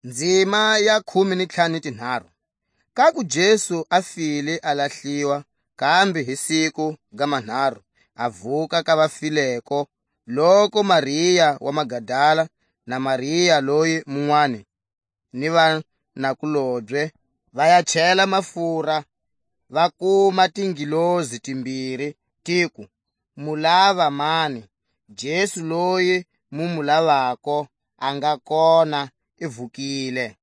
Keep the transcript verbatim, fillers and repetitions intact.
Nzima ya khume ni ntlhanu ni tinharhu. Kaku Jesu a file a lahliwa, kambe hi siku ga manharhu a vuka ka vafileko, loku Maria wa Magadala na Maria loyi munwani ni vanakulobye va ya chela mafura, va kuma tingilozi timbiri, tiku: "Mu lava mani? Jesu loyi mu mu lavako a nga kona, i vukile."